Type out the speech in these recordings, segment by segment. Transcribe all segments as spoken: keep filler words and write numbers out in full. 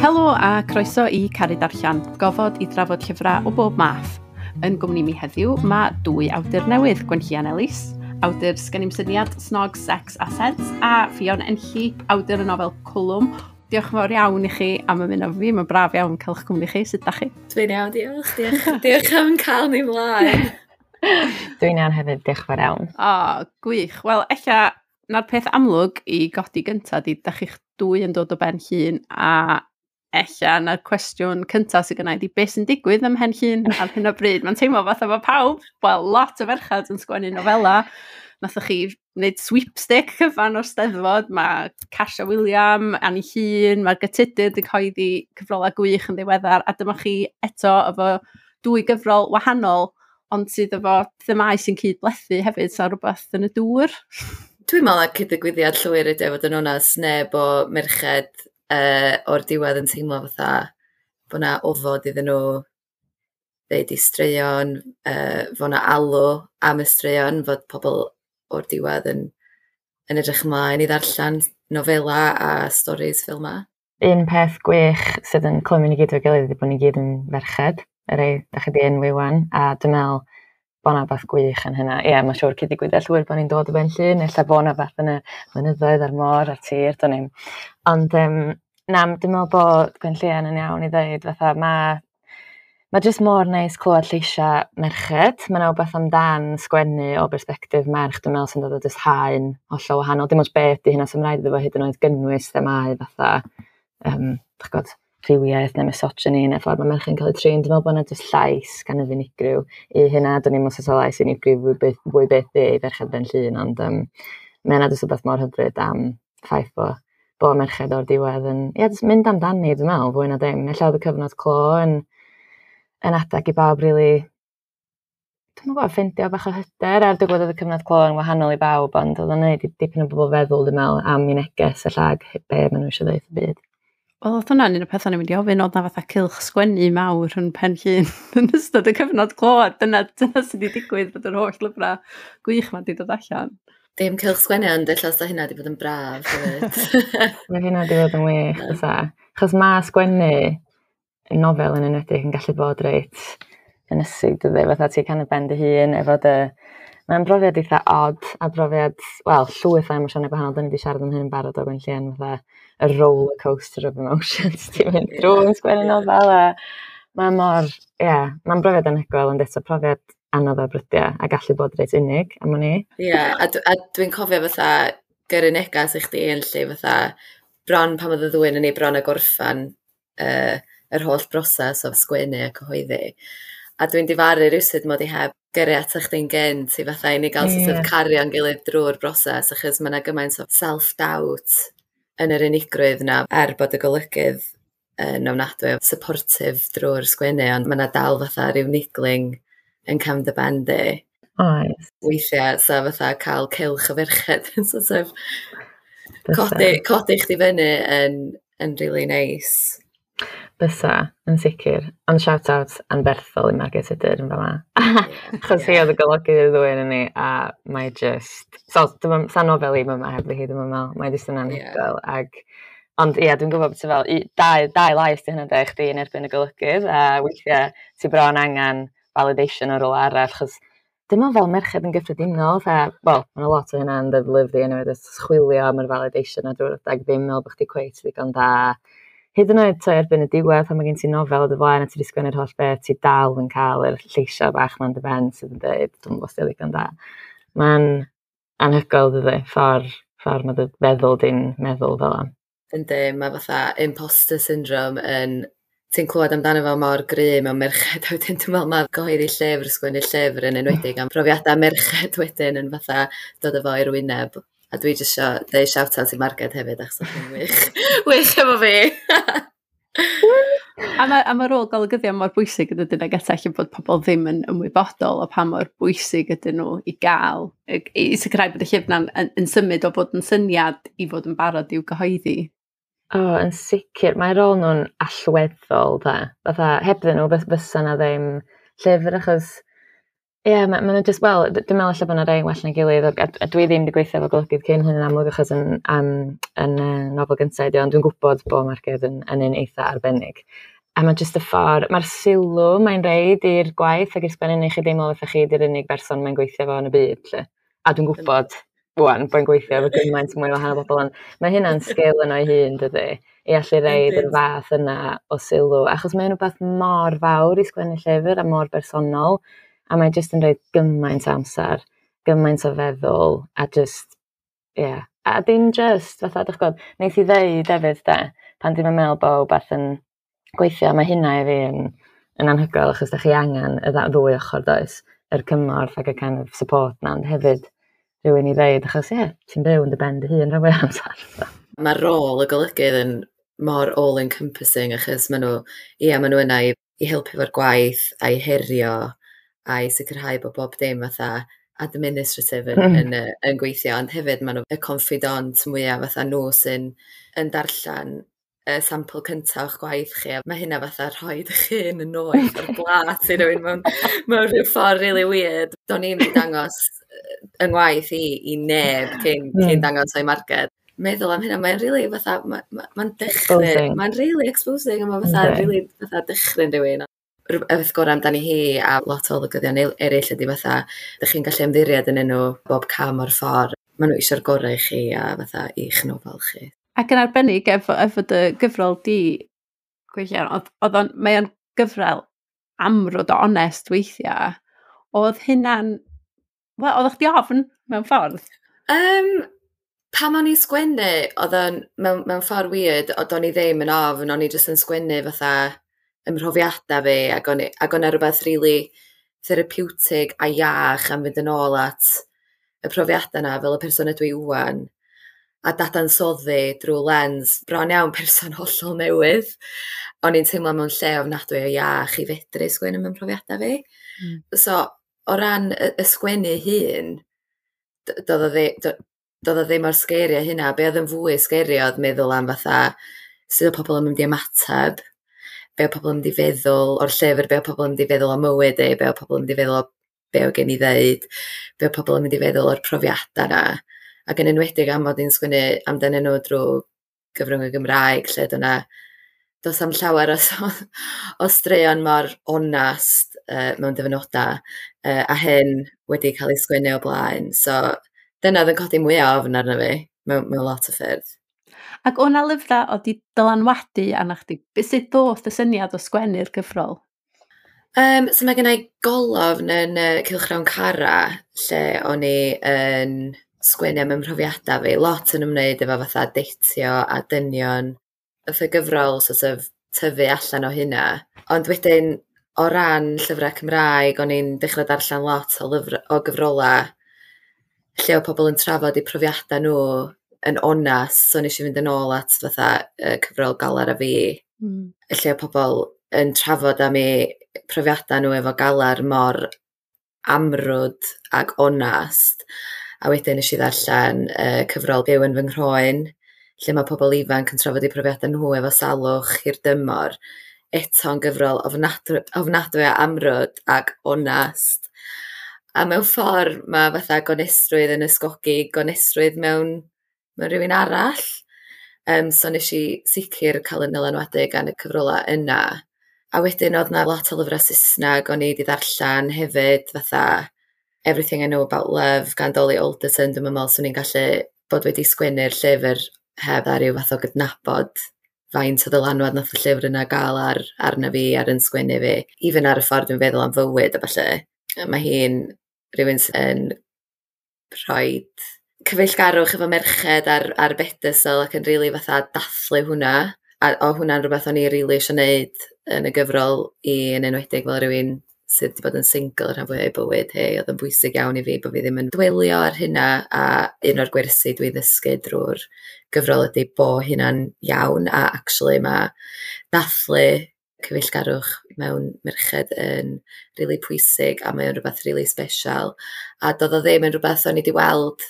Helo a croeso i Caru Darllen, gofod i drafod llyfrau o bob math. Yn gwmni mi heddiw mae dwy awdur newydd, Gwenllian Ellis, awdur Sgen i'm syniad, Snog, Sex a Seds, a Ffion Enlli, awdur y nofel Cwlwm. Diolch yn fawr iawn i chi am ymuno fi, mae'n braf iawn cael eich cwmni chi. Sut da chi? Dwi'n iawn, diolch. Diolch, diolch am cael ni mlaen. Dwi'n iawn hefyd, diolch fawr iawn. O, gwych. Wel, ella na'r peth amlwg i godi gyntaf di, da chi'ch dwy yn dod o Ben Llŷn, a ella na'r cwestiwn cyntaf sydd gennau di beth sy'n digwydd ym Mhen Llŷn ar hyn o bryd. Mae'n teimlo fatha mae pawb, wel, lot o ferchad yn sgwennu nofela. Nathoch chi wneud sweepstake cyfan o'r Steddfod, mae Casia Wiliam, Anni Llŷn, mae'r Tudur wedi cyhoeddi cyfrolau gwych yn ddiweddar, a dyma chi eto efo dwy gyfrol wahanol, ond sydd efo themau sy'n cyd-blethu hefyd, so rhywbeth yn y dŵr. Dwi'n meddwl na cyd-ddigwyddiad llwyr ydy o fod yn onest, neb o merched uh, o'r diwedd yn teimlo fatha bod 'na ofod iddyn nhw ddeud eu straeon, uh, fod 'na alw am y straeon, fod pobl o'r diwedd yn, yn edrych ymlaen i ddarllen nofela a storis fel 'ma. Un peth gwych sydd yn clymu ni gyd o'i gilydd ydy bod ni gyd yn ferched, y rei da chi di enwi wan, a dwi'n meddwl bod 'na beth gwych yn hynna. Ie, mae'n siŵr cyd-ddigwyddiad llwyr bod ni'n dod o Ben Llŷn, ella bod 'na beth yn y mynyddoedd a'r môr a'r tir, do'n i'm. Ond um, na, dwi'n meddwl bod Gwenllian yn iawn i ddweud, fatha, mae ma jyst mor neis clywed lleisiau merched. Mae 'na wbeth amdan sgwennu o bersbectif merch, dwi'n meddwl, sy'n dod o jyst haen hollol wahanol. Dim ots beth 'di hynna, sy'n rhaid iddo fo hyd yn oed gynnwys themâu fatha, um, dach gwbod, rhywiaeth neu misogyny neu ffordd mae merched yn cael eu trin. Dwi'n meddwl bod 'na jyst llais kind of unigryw i hynna. Do'n i'm os oes lais unigryw fwy byth, fwy byth i ferched Ben Llŷn, ond um, mae yna jyst rhywbeth mor hyfryd am ffaith bod bo merched o'r diwedd yn, ie, jyst mynd amdani, dwi'n meddwl, fwy na dim. Ella oedd y cyfnod clo yn, yn adag i bawb rili, dwi'm yn gwybod, ffeindio bach o hyder. Er dwi'n gwybod oedd y cyfnod clo yn wahanol i bawb, ond oedd o'n neud i dipyn o bobl feddwl, dwi'n meddwl, am eu neges ella ag be maen nhw eisiau dweud y byd. Wel, oedd hwnna'n un o'r pethau o'n i'n mynd i ofyn, oedd na fatha cylch sgwennu mawr yn Pen Llŷn yn ystod y cyfnod clo, a dyna, dyna sydd wedi digwydd bod yr holl lyfrau gwych ma wedi dod allan. Dim cylch sgwennu, ond ella sa hynna wedi bod yn braf hefyd. Mae hynna wedi bod yn wych, fysa. Achos mae sgwennu nofel yn enwedig yn gallu bod reit ynysig, dydy, fatha ti kind of ben dy hun efo dy... Mae'n brofiad eitha odd a brofiad, wel, llwyth o emosiynau gwahanol. Da ni wedi siarad am hyn yn barod o Gwenllian, fatha y roller coaster of emotions ti'n mynd drwy yn sgwennu nofel, a mae mor, ie, yeah, mae'n brofiad anhygoel, ond eto profiad anodd o brydiau a gallu bod reit unig am wn i. Ie, yeah, a, a dwi'n cofio fatha gyrru negas i chdi yn lle fatha bron pan oedd y ddwy yn ei bron a gorffan uh, yr holl broses o sgwennu a cyhoeddi. A dwi'n difaru rywsut mod i heb gyrru ata chdi'n gynt i fatha i ni gael yeah. sort of cario'n gilydd drwy'r broses, achos mae yna gymaint o self-doubt yn yr unigrwydd na, er bod y golygydd yn ofnadwy o supportive drwy'r sgwennu, ond mae yna dal fatha rhyw niggling yn cefn dy ben di. Oes. Weithiau, so fatha cael cylch o ferched yn sort of codi, codi chdi fyny yn, yn really nice. Bysa, yn sicr. Ond shout out anferthol i Margaret Tudur yn fama. Achos hi oedd y golygydd y ddwy yn ni, a mae just... So, dwi'n sa nofel i yma heb hi, dwi'n meddwl. Mae jyst yn anhygoel. Ag, ond ie, dwi'n gwybod beth fel, i, dau, dau lais di hynna de, chdi yn erbyn y golygydd, a weithiau ti bron angen validation o rywle arall, achos dim ond fel merched yn gyffredinol, fatha, wel, mae 'na lot o hynna yn dy lyfr di anyway, jyst chwilio am yr validation a drwy'r adeg ddim meddwl bod chdi cweit ddigon da. Hyd yn oed ta erbyn y diwedd, pan mae gen ti nofel o dy flaen a ti wedi sgwennu'r holl beth, ti dal yn cael yr lleisiau bach ma'n dy ben sydd yn dweud, dwi'm yn gwybod os di o ddigon da. Mae'n anhygoel, dydi, ffordd, ffordd mae dy feddwl di'n meddwl fel 'na. Yndi, mae fatha imposter syndrome yn... Ti'n clywed amdano fo mor gry mewn merched, a wedyn dwi'n meddwl mae gyhoeddi llyfr, sgwennu llyfr yn enwedig am profiadau merched wedyn yn fatha dod â fo i'r wyneb. A dwi jyst isio deud shout out i Marged hefyd, achos oedd hi'n wych, wych efo fi. A mae, a ma rôl golygyddion mor bwysig yn dydyn, ag eto ella bod pobl ddim yn ymwybodol o pa mor bwysig ydyn nhw i gael, i, i sicrhau bod y llyfr na'n yn, yn symud o fod yn syniad i fod yn barod i'w gyhoeddi. O, oh, yn sicr. Mae rôl nhw'n allweddol, da. Fatha, hebddyn nhw, fysa na ddim llyfr, achos Ie, yeah, ma, ma nhw just, wel, dwi'n meddwl ella bod yna rhai well na gilydd, a, a dwi ddim wedi gweithio efo golygydd cyn hyn yn amlwg achos yn, um, yn uh, nofel gyntaf ydi, ond dwi'n gwybod bod Marged yn, yn un eitha arbennig. A mae jyst y ffordd, mae'r sylw mae'n reid i'r gwaith ac i'r sgwennu neu chi deimlo fatha chi di'r unig berson mae'n gweithio fo yn y byd, lle. A dwi'n gwybod, wan, bod yn gweithio efo gymaint mwy o wahanol bobl, ond mae hynna'n sgil yno ei hun, dydy, i allu reid yr fath yna o sylw, achos mae'n rhywbeth mor fawr i sgwennu llyfr a mor bersonol, a mae jyst yn rhoi gymaint o amser, gymaint o feddwl, a just, ie. Yeah. A dim just, fatha, dych gwybod, neith i ddeud hefyd, de, pan dim yn meddwl bod wbath yn gweithio, mae hynna i fi yn, yn anhygoel, achos da chi angen y ddwy ochr, does, yr cymorth ac y kind of support na, ond hefyd rhywun i ddeud, achos ie, yeah, ti'n byw yn dy ben dy hun rhan fwy amser. So. Mae rôl y golygydd yn mor all-encompassing, achos maen nhw, ie, maen nhw yna i, i helpu efo'r gwaith a i herio a i sicrhau bod bob dim fatha administrative yn, mm. yn, yn, yn gweithio, ond hefyd maen nhw y confidant mwyaf fatha nhw sy'n yn darllen y sampl cyntaf o'ch gwaith chi, a mae hynna fatha rhoi eich hun yn noeth ar blat i rywun mewn, mewn rhyw ffordd really weird. Do'n i'm wedi dangos yng ngwaith i i neb cyn, mm. cyn dangos o'i Marged. Meddwl am hynna, mae'n really fatha, mae'n ma, ma dychryn, mae'n really exposing, a mae'n fatha, okay. really fatha dychryn rhywun. Y peth gorau amdani hi a lot o olygyddion eraill ydy fatha, dych chi'n gallu ymddiried yn nhw bob cam o'r ffordd. Maen nhw eisiau'r gorau i chi a fatha i'ch nofel chi. Ac yn arbennig efo, efo dy gyfrol di, Gwenllian, oedd, oedd o'n, mae o'n gyfrol amrwd o onest weithiau. Oedd hynna'n, wel, oedd chdi ofn mewn ffordd? Um, pan o'n i'n sgwennu, oedd o'n, mewn, mewn ffordd weird, oedd o'n i ddim yn ofn, o'n i jyst yn sgwennu fatha ymhrofiadau fi, ac o'n, ac o'n rhywbeth really therapeutic a iach am fynd yn ôl at y profiadau yna fel y person ydw i ŵan, a dadansoddi drwy lens bron iawn person hollol newydd. O'n i'n teimlo mewn lle ofnadwy o iach i fedru sgwennu mewn profiadau fi. Mm. So, o ran y, y sgwennu hun, doedd o ddim o'r scary hynna. Be oedd yn fwy scary oedd meddwl am fatha sut oedd pobl yn mynd i ymateb, be oedd pobl yn mynd i feddwl o'r llyfr, be oedd pobl yn mynd i feddwl o mywyd i, be oedd pobl yn mynd i feddwl o be oedd gen i ddeud, be oedd pobl yn mynd i feddwl o'r profiadau yna. Ac yn enwedig am fod i'n sgwennu amdanyn nhw drwy gyfrwng y Gymraeg, lle dyna does am llawer o, o straeon mor onast uh, mewn dyfynodau, uh, a hyn wedi cael ei sgwennu o blaen. So dyna oedd yn codi mwyaf ofn arno fi mewn, mewn lot o ffyrdd. Ac o'na lyfrau oedd di dylanwadu arna chdi? Sut ddoth y syniad o sgwennu'r gyfrol? Um, so mae gen i golofn yn uh, Cylchgrawn Cara, lle o'n i yn sgwennu am ymhrofiadau fi, lot yn ymwneud efo fatha deitio a dynion. Oedd y gyfrol sort of tyfu allan o hynna. Ond wedyn, o ran llyfrau Cymraeg, o'n i'n dechrau darllen lot o, lyfr, o gyfrolau lle oedd pobl yn trafod eu profiadau nhw yn onast, so nes i fynd yn ôl at fatha uh, cyfrol Galar a Fi, mm. lle oedd pobl yn trafod am eu profiadau nhw efo galar mor amrwd ac onast. A wedyn nes i ddarllen uh, cyfrol Byw yn fy nghroen, lle mae pobl ifanc yn trafod eu profiadau nhw efo salwch i'r dymor. Eto'n gyfrol ofnadwy, ofnadwy a amrwd ac onast. A mewn ffordd mae fatha gonestrwydd yn ysgogi gonestrwydd mewn, mewn rhywun arall. Um, so nes i sicr cael yn dylanwadu gan y cyfrolau yna. A wedyn oedd na lot o lyfrau Saesneg o'n i wedi ddarllen hefyd, fatha Everything I Know About Love gan Dolly Alderton. Dwi'n meddwl swn i'n gallu bod wedi sgwennu'r llyfr heb ar ryw fath o gydnabod faint o ddylanwad nath y llyfr yna gael ar, arna fi, ar yn sgwennu fi. Even ar y ffordd dwi'n feddwl am fywyd a ballu. Mae hi'n rhywun sy'n rhoi cyfeillgarwch efo merched ar, ar bedestal ac yn rili really fatha dathlu hwnna. A o hwnna'n rhywbeth o'n i rili really eisiau gwneud yn y gyfrol i, yn enwedig fel rhywun sydd wedi bod yn single rhan fwyaf o'i bywyd hi. Oedd yn bwysig iawn i fi bod fi ddim yn dwelio ar hynna, a un o'r gwersi dwi ddysgu drwy'r gyfrol ydy bo hynna'n iawn, a actually mae dathlu cyfeillgarwch mewn merched yn really pwysig, a mae o'n rhywbeth really special. A doedd o ddim yn rhywbeth o'n i wedi weld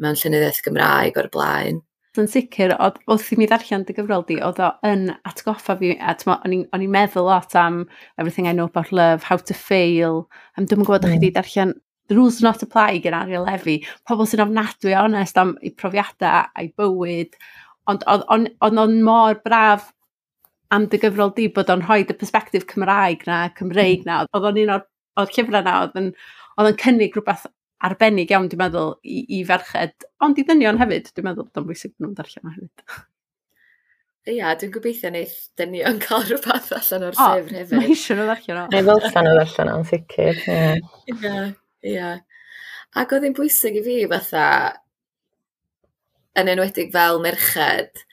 mewn llenyddiaeth Gymraeg o'r blaen. Yn sicr, oedd, wrth i mi ddarllen dy gyfrol di, oedd o yn atgoffa fi, a t'mo, o'n i'n o'n i'n meddwl lot am Everything I Know About Love, How to Fail, am dwi'm yn gwybod mm. chi wedi darllen The Rules Do Not Apply gen Ariel Levy, pobl sy'n ofnadwy o onest am eu profiadau a'i bywyd, ond oedd o'n mor braf am dy gyfrol di bod o'n rhoi y perspective Cymraeg na, Cymreig na, oedd o'n un o'r, o'r llyfrau na, oedd yn, oedd yn cynnig rhywbeth arbennig iawn, dwi'n meddwl, i, i ferched, ond i ddynion hefyd, dwi'n meddwl bod o'n bwysig bod nhw'n darllen o hefyd. Ia, dwi'n gobeithio neith dynion cael rhywbeth allan o'r llyfr hefyd. Mae eisiau nhw ddarllen o. Neu ddylsan nhw ddarllen o'n sicr. Ie, yeah. ie. Ac oedd hi'n bwysig i fi fatha, yn enwedig fel merched,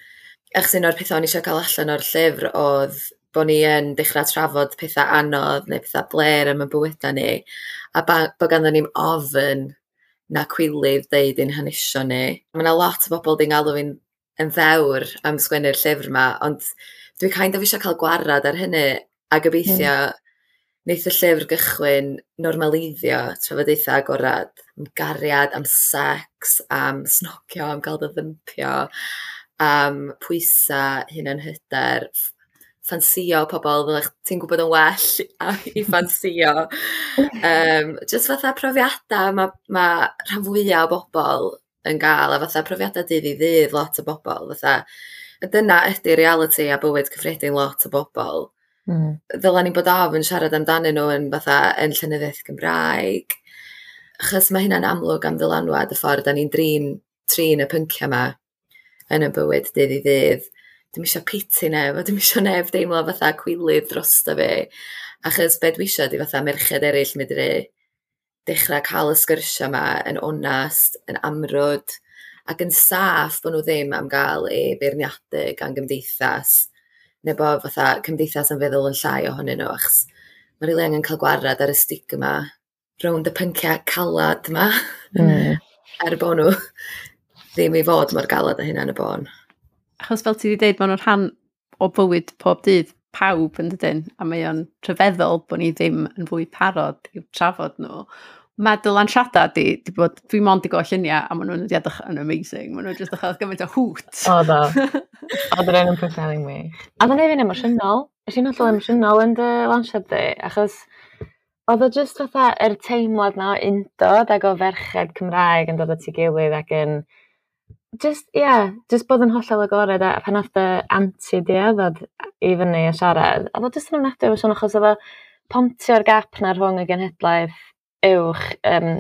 achos un o'r pethau o'n i eisiau cael allan o'r llyfr oedd bod ni yn dechrau trafod pethau anodd neu pethau blêr am y bywydau ni, a ba, bod ganddo ni'm ofn na cwilydd deud ein hanesion ni. Mae yna lot o bobl di'n galw fi'n yn ddewr am sgwennu'r llyfr yma, ond dwi kind of eisiau cael gwarad ar hynny, a gobeithio mm. neith y llyfr gychwyn normaleiddio trafodaethau agorad am gariad, am sex, am snogio, am gael dy ddympio, am pwysa, hunanhyder, ffansio pobl fel ti'n gwybod yn well i ffansio. Um, just fatha profiadau mae ma rhan fwyaf o bobl yn gael, a fatha profiadau dydd i ddydd lot o bobl. Fatha, dyna ydy reality a bywyd cyffredin lot o bobl. Mm. Ddyla ni bod ofn siarad amdanyn nhw yn fatha yn llenyddiaeth Gymraeg. Achos mae hynna'n amlwg am ddylanwad y ffordd da ni'n drin, trin y pynciau yma yn y bywyd dydd i ddydd. Dwi'm isio piti neb, a dwi'm isio neb deimlo fatha cwilydd drosto fi. Achos be dwi isio ydi fatha merched eraill medru dechrau cael y sgyrsia yma yn onast, yn amrwd, ac yn saff bod nhw ddim am gael eu beirniadu gan gymdeithas, neu bod fatha cymdeithas yn feddwl yn llai ohonyn nhw, achos mae rili angen cael gwarad ar y stigma rownd y pynciau calad yma, mm. er bod nhw ddim i fod mor galad â hynna yn y bôn. Achos fel ti wedi dweud, maen nhw'n rhan o bywyd pob dydd pawb yn dydyn, a mae o'n rhyfeddol bod ni ddim yn fwy parod i'w trafod nhw. Mae dy lansiadau di, di bod, dwi mond i gweld lluniau, a maen nhw'n edrych yn amazing. Maen nhw'n just edrych gymaint o hoot. O, do. Oedd yr un yn Pwllheli'n wych. A oedd o'n neud fi'n emosiynol. Es i'n hollol emosiynol yn dy lansiad di, achos oedd o just fatha yr teimlad na o undod ac o ferched Cymraeg yn dod at ei gilydd ac yn just, ie, yeah, just bod yn hollol agored, a pan nath dy anti di ddod i fyny a siarad, oedd o just yn ofnadwy emosiynol, achos oedd o pontio'r gap na rhwng y genhedlaeth uwch um,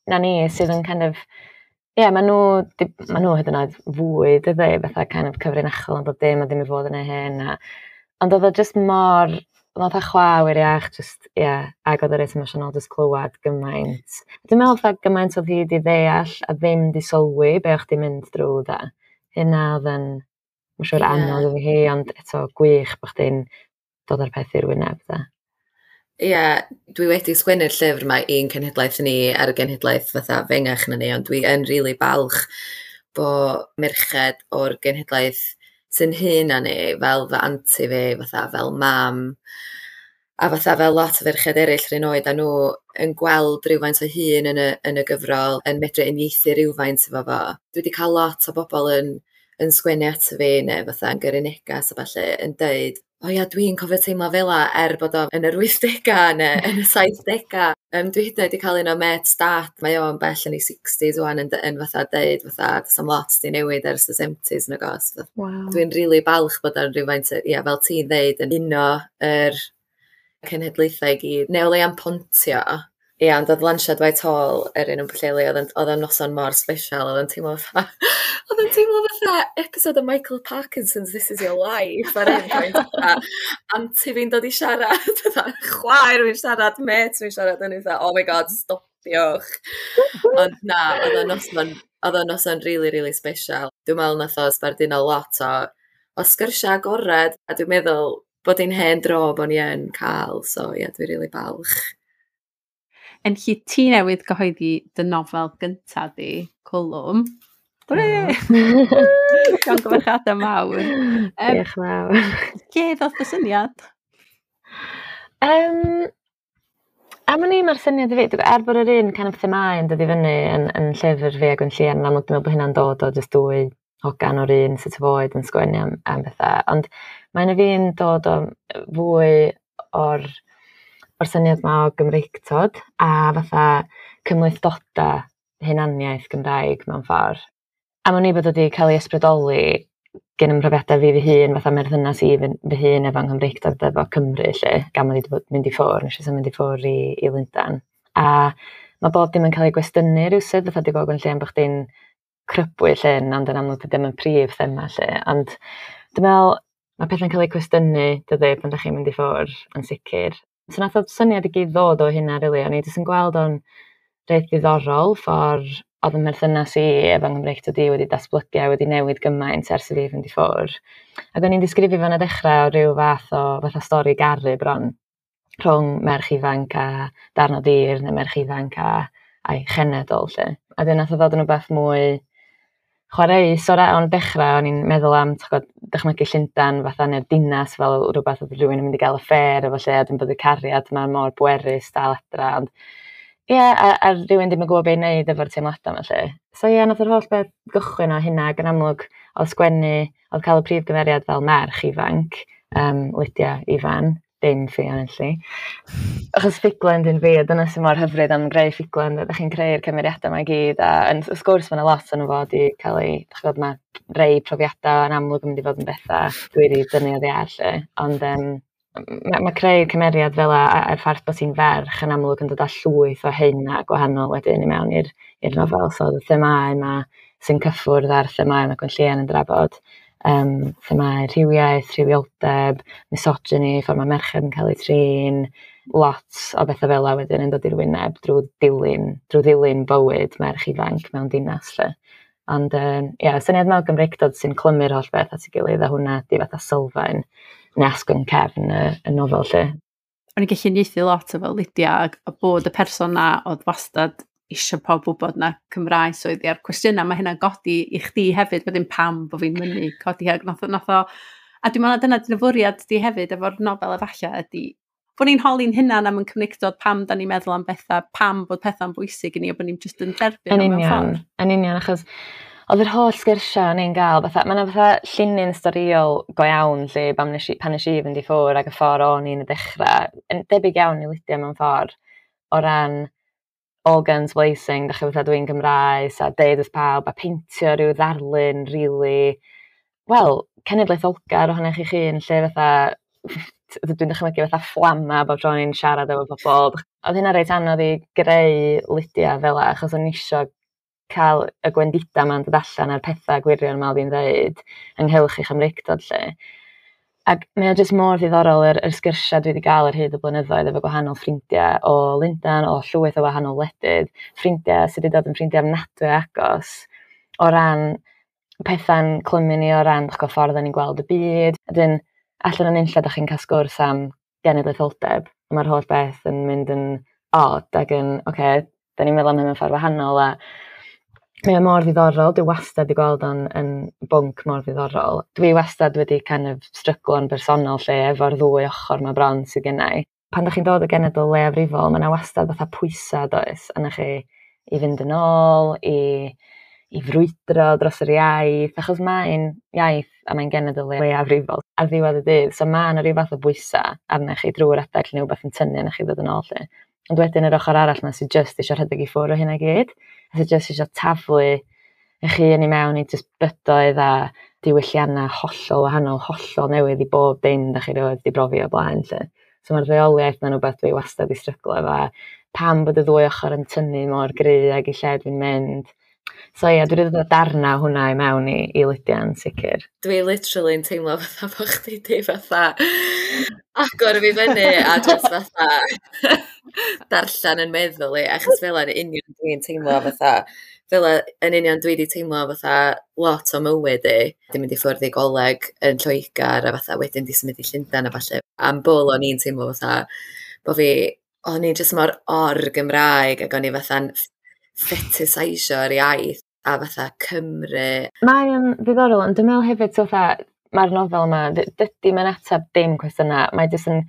na ni sydd yn kind of, ie, yeah, maen nhw, ma nhw hyd yn oed fwy, dydy, fatha kind of cyfrinachol yn bob dim a ddim i fod yn ei hyn. A, ond oedd o just mor, oedd o chwa wir iach, just, ie, yeah, ac oedd o reit emosiynol just clywed gymaint. Dwi'n meddwl fatha gymaint oedd hi wedi ddeall a ddim di sylwi be o'ch di mynd drwy da. Hynna oedd yn, mae'n siŵr yeah. anodd iddi hi, ond eto gwych bod chdi'n dod â'r peth i'r wyneb da. Ie, yeah, dwi wedi sgwennu'r llyfr yma i'n cenhedlaeth ni a'r genhedlaeth fatha fengach na ni, ond dwi yn rili balch bo merched o'r genhedlaeth sy'n hŷn na ni, fel fy anti fi, fatha fel mam, a fatha fel lot o ferched eraill rhywun oed a nhw yn gweld rhywfaint o hun yn y, yn y gyfrol, yn medru uniaethu rhywfaint efo fo. Dwi wedi cael lot o bobl yn, yn sgwennu ato fi neu fatha yn gyrru negas a ballu yn deud, o ia, dwi'n cofio teimlo fel 'a er bod o yn yr wythdegau neu yn y saithdegau. Um, dwi hyd yn oed wedi cael un o mêt dad, mae o'n bell yn ei sixties wan yn, yn fatha deud fatha, does am lot di newid ers y seventies nag oes. Wow. Dwi'n rili balch bod o'n rhywfaint, ia, fel ti'n ddeud, yn uno yr cenhedlaethau i gyd, neu o leia'n pontio. Ia, ond oedd lansiad Whitehall yr un yn Pwllheli, oedd o'n noson mor special, oedd o'n teimlo fatha, oedd o'n teimlo fatha episode o Michael Parkinson's This Is Your Life ar un pwynt, fatha, anti fi'n dod i siarad, fatha, chwaer fi'n siarad, mêt fi'n siarad, o'n i fatha, oh my god, stopiwch. Ond na, oedd o'n noson, oedd o'n noson really, really special. Dwi'n meddwl nath o sbarduno lot o, o sgyrsiau agored, a dwi'n meddwl bod hi'n hen dro bod ni yn cael, so ie, yeah, dwi'n really balch. Yn lle ti newydd gyhoeddi dy nofel gyntaf di, Cwlwm. Hwrê! Llongyfarchiadau mawr. Um, Diolch mawr. Lle ddoth y syniad? Um, am wn i, mae'r syniad i fi, er bod yr un kind of themâu yn dod i fyny yn, yn llyfr fi a Gwenllian, yn amlwg dwi'n meddwl bod hynna'n dod o just dwy hogan o'r un sort of oed yn sgwennu am, am bethau. Ond mae'n y fi'n dod o fwy o'r, o'r syniad yma o Gymreictod a fatha cymhlethdodau hunaniaeth Gymraeg mewn ffordd. A ma'n i bod wedi cael ei ysbrydoli gen ym mhrofiadau fi fy hun, fatha merthynas i fy, fy hun efo'n Nghymreictod efo Cymru, lle, gan mod i wedi bod mynd i ffwrdd, nes i symud i ffwrdd i, i Lundain. A mae bob dim yn cael ei gwestiynu rywsut, fatha di gweld Gwenllian bod chdi'n crybwyll hyn, ond yn amlwg ddim yn prif thema lle. Ond dwi'n meddwl, mae pethau'n cael eu cwestiynu, dydy, pan ydych chi'n mynd i ffwrdd, yn sicr. So nath o syniad i gyd ddod o hynna, really. O'n i jyst yn gweld o'n reit ddiddorol ffordd oedd y merthynas i efo Nghymreictod i wedi datblygu a wedi newid gymaint ers i fi fynd i ffwrdd. Ac o'n i'n disgrifio fo'n y dechrau o ryw fath o fatha stori garu bron rhwng merch ifanc a darn o dir neu merch ifanc a a'i chenedl lle. A wedyn nath o ddod yn rhywbeth mwy chwareus o'r o'n dechrau, o'n i'n meddwl am t'god, dychmygu Llundain fatha neu'r dinas fel rhywbeth oedd rhywun yn mynd i gael affair efo lle, a dwi'n bod y cariad yma mor bwerus dal adra, ond ie, yeah, a, a rhywun ddim yn gwybod beth i wneud efo'r teimladau yma lle. So ie, yeah, nath yr holl beth gychwyn o hynna, ac yn amlwg oedd sgwennu, oedd cael y prif gymeriad fel merch ifanc, um, Lydia Ifan, dim Ffion Enlli. Achos ffuglen dyn fi, a dyna sy'n mor hyfryd am greu ffuglen, ydych chi'n creu'r cymeriadau yma i gyd, a yn, wrth gwrs mae yna lot yn fod i cael ei, dych chi'n gwybod, mae rei profiadau yn amlwg yn mynd i fod yn bethau dwi wedi dynnu oddi ar lle, ond um, mae, ma creu cymeriad fel a, a'r ffaith bod ti'n ferch yn amlwg yn dod â llwyth o hyn a gwahanol wedyn i mewn i'r i'r nofel, so y themâu yma sy'n cyffwrdd â'r themâu mae Gwenllian yn drafod, um, themâu rhywiaeth, rhywioldeb, misogyny, ffordd mae merched yn cael eu trin, lot o bethau fel 'a wedyn yn dod i'r wyneb drwy dilyn, drwy ddilyn bywyd merch ifanc mewn dinas lle. Ond ie, yeah, syniad mewn Gymreictod sy'n clymu'r holl beth at ei gilydd, a hwnna di fatha sylfaen neu asgwrn cefn y, y nofel lle. O'n i'n gallu uniaethu lot efo Lydia a, a bod y person na oedd wastad eisiau pawb wybod na Cymraes oedd hi, a'r cwestiynau mae hynna'n godi i chdi hefyd, wedyn pam bod fi'n mynnu codi ag nath, o- nath o, a dwi'n meddwl na dyna dyna fwriad di hefyd efo'r nofel efallai ydy bod ni'n holi'n hunan am yn Cymreictod, pam da ni'n meddwl am bethau, pam bod pethau'n bwysig i ni, a bod ni'n just yn derbyn Yn o mewn union, ffordd. yn union, achos oedd yr holl sgyrsiau o'n i'n gael, fatha, mae yna fatha llinyn storïol go iawn lle pan nes i, pan nes i fynd i ffwrdd ac y ffordd o'n i'n y dechrau, yn debyg iawn i Lydia mewn ffordd, o ran all guns blazing, dach chi fatha dwi'n Gymraes a deud wrth pawb a peintio rhyw ddarlun really, wel, cenedlaetholgar ohonoch chi'ch hun, lle fatha, dwi'n dychmygu fatha fflama bob tro o'n i'n siarad efo pobl. Oedd hynna reit anodd i greu Lydia fel 'a, achos o'n i isio cael y gwendidau 'ma'n dod allan a'r pethau gwirion 'ma oedd hi'n ddeud ynghylch ei Chymreictod 'lly. Ac mae o jyst mor ddiddorol yr, yr sgyrsiau dwi wedi gael ar hyd y blynyddoedd efo gwahanol ffrindiau o Lundain, o llwyth o wahanol wledydd, ffrindiau sydd wedi dod yn ffrindiau ofnadwy o agos o ran pethau'n clymu ni o ran dych chi'n ffordd ni'n gweld y byd. Wedyn, allan yn unlla dach chi'n cael sgwrs am genedlaetholdeb, a mae'r holl beth yn mynd yn odd ac yn, oce, okay, da ni'n meddwl am hyn mewn ffordd wahanol, a mae o mor ddiddorol, dwi wastad wedi gweld o'n yn bwnc mor ddiddorol. Dwi wastad wedi kind of stryglo'n bersonol lle efo'r ddwy ochr 'ma bron sydd gennai. Pan dach chi'n dod o genedl leiafrifol, mae yna wastad fatha pwysau does, arnoch chi i fynd yn ôl, i, i frwydro dros yr iaith, achos mae'n iaith a mae'n genedl leiafrifol ar ddiwedd y dydd. So mae yna rhyw fath o bwysau arnoch chi drwy'r adeg lle neu rhywbeth yn tynnu arnoch chi ddod yn ôl lle. Ond wedyn yr ochr arall 'ma sydd jyst eisiau rhedeg i ffwrdd o hynna i gyd, a sydd jyst eisiau taflu eich hun i mewn i jyst bydoedd a diwylliannau hollol wahanol, hollol newydd i bob dim da chi rioed 'di brofi o blaen 'lly. So mae'r ddeuoliaeth 'na'n rhywbeth dwi wastad 'di stryglo efo, a pam bod y ddwy ochr yn tynnu mor gry ag i lle dwi'n mynd. So ie, dwi wedi dod â darnau hwnna i mewn i, i Lydia yn sicr. Dwi literally yn teimlo fatha bo' chdi 'di fatha agor fi fyny a just fatha darllen yn meddwl i, achos fel yn union dwi'n teimlo fatha, fel yn union dwi 'di teimlo fatha lot o mywyd i, 'di mynd i ffwrdd i goleg yn Lloegr a fatha wedyn 'di symud i Llundain a ballu. Am bwl o'n i'n teimlo fatha bo' fi, o'n i jyst mor or-Gymraeg ac o'n i fatha'n fetiseisio'r iaith a fatha Cymru. Mae o'n ddiddorol, ond dwi'n meddwl hefyd, so fatha, mae'r nofel yma, dydy mae'n ateb dim cwestiynau, mae jyst yn,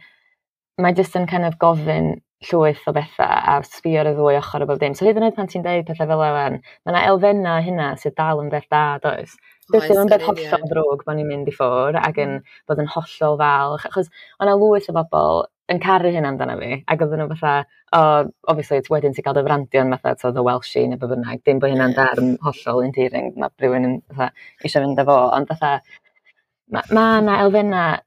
mae jyst yn kind of gofyn llwyth o bethau a sbio ar y ddwy ochr o bob dim. So hyd yn oed pan ti'n deud pethau fel yna, mae yna elfennau hynna sydd dal yn beth da, does? Dydy o'n beth hollol ddrwg bod ni'n mynd i ffwrdd ac yn bod yn hollol falch, achos o'na lwyth o bobl yn caru hynna amdano fi, ac oedden nhw fatha, oh, obviously, wedyn ti'n cael dy frandio'n fatha, to, the Welshie neu be bynnag, dim bod hynna'n derm hollol endearing, mae rhywun yn fatha eisiau fynd â fo, ond fatha, mae ma 'na elfennau